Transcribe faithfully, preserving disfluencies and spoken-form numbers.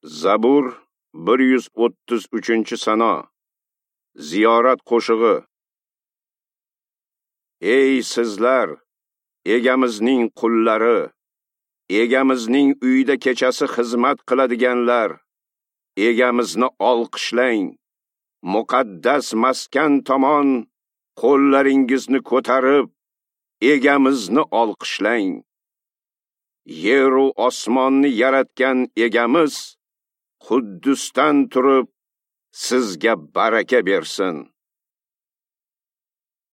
Zabur bir yuz o'ttiz uchinchi sano. Ziyorat qo'shig'i. Ey sizlar, egamizning qullari, egamizning uyida kechasi xizmat qiladiganlar, egamizni olqishlang. Muqaddas maskan tomon qo'llaringizni ko'tarib, egamizni olqishlang. Yer u osmonni yaratgan egamiz Quddusdan turib sizga baraka bersin.